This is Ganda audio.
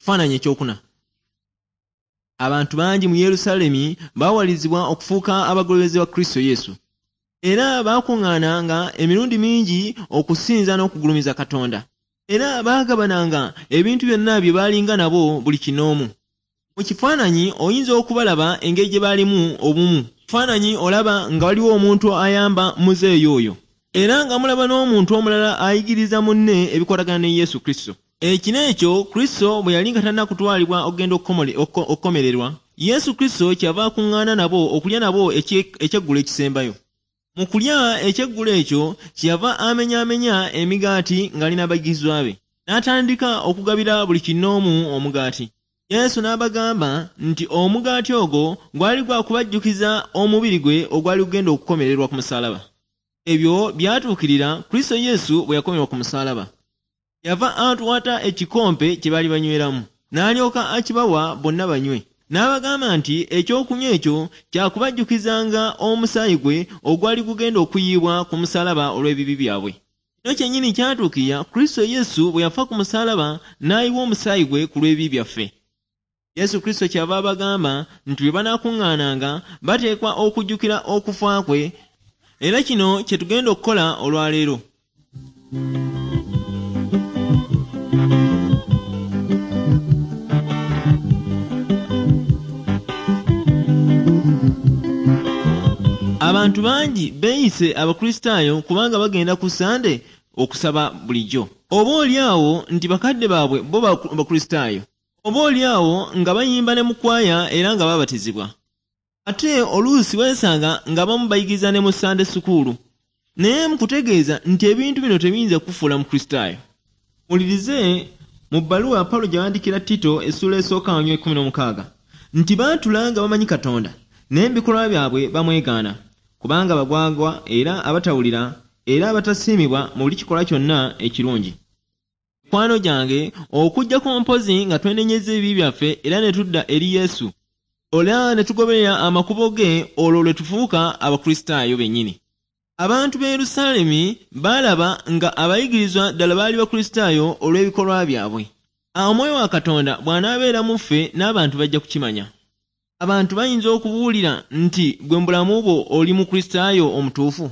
Kifaananyi ekyokuna. Abantu bangi mu Yerusaalemi baawalirizibwa okufuuka abagoberezi ba Kristo Yesu. Era baakuŋŋaananga emirundi mingi okusinza n'okugulumiza Katonda. Era baagabananga ebintu byonna bye baalinga nabo buli kinnoomu. Mu kifaananyi oyinza okubalaba engeri gye baalimu obumu. Kifaananyi olaba nga waliwo omuntu ayamba muzeeyi oyo. Era nga mulaba n'omuntu omulala ayigiriza munne ebikwatagana ne Yesu Kristo. Ekiro ekyo Kristo bwe yali nga tannakutwalibwa okugenda okukomererwa, Yesu Kristo kyeyava akuŋŋaana nabo okulya nabo ekyeggulo ekisembayo. Mu kulya ekyeggulo ekyo kyeyava amenyaamenya emigaati ng'ali n'abayigirizwa be, n'atandika okugabira buli kinnoomu omugaati. Yesu n'abagamba nti omugaati ogwo gwali gwa kubajjukiza omubiri gwe ogwali gugenda okukomererwa ku musaalaba. Ebyo byatuukirira Kristo Yesu bwe yakomererwa ku musaalaba. Yava atwata ekikompe kye baali banyweramu, n'alyoka akibawa bonna banywe. N'abagamba nti ekyokunywa ekyo kya kubajjukizanga omusaayi gwe ogwali gugenda okuyiibwa ku musaalaba olw'ebibi byabwe. Kino kyennyini kyatuukirira Kristo Yesu bwe yafa ku musaalaba n'ayiwa omusaayi gwe ku lw'ebibi byaffe. Yesu Kristo kyava abagamba nti bwe banaakuŋŋaananga bateekwa okujjukira okufa kwe, era kino kye tugenda okukola olwaleero. Abantu bangi beeyise Abakristaayo kubanga bagenda ku Ssande okusaba bulijjo. Oba oli awo nti bakadde baabwe bo Bakristaayo. Oba oli awo nga bayimba ne mu kwaya era nga baabatizibwa. Ate oluusi weesanga ng'abamu bayigiriza ne mu Ssande sukuulu. Naye nkutegeeza nti ebintu bino tebiyinza kukufuula Mukristaayo. Muwulirize mu bbaluwa Pawulo gye yawandiikira Tito essuula esooka oluny. 16 nti baatula nga bamanyi Katonda, naye mu bikolwa byabwe bamwegaana, kubanga bagwagwa era abatawulira era abatasiimibwa mu buli kikolwa kyonna ekirungi. Mikwano gyange, okuggyako mpozzi nga twenenyezza ebibi byaffe era ne tudda eri Yesu, era ne tugoberera amakubo ge, olwo lwe tufuuka Abakristaayo bennyini. Abantu b'e Yerusaalemi baalaba nga abayigirizwa ddala baali Bakristaayo olw'ebikolwa byabwe. Omwoyo wa Katonda bw'anaabeera mu ffe, n'abantu bajja kukimanya. Abantu bayinza okubuulira nti ggwe mu bulamu bwo oli Mukristaayo omutuufu?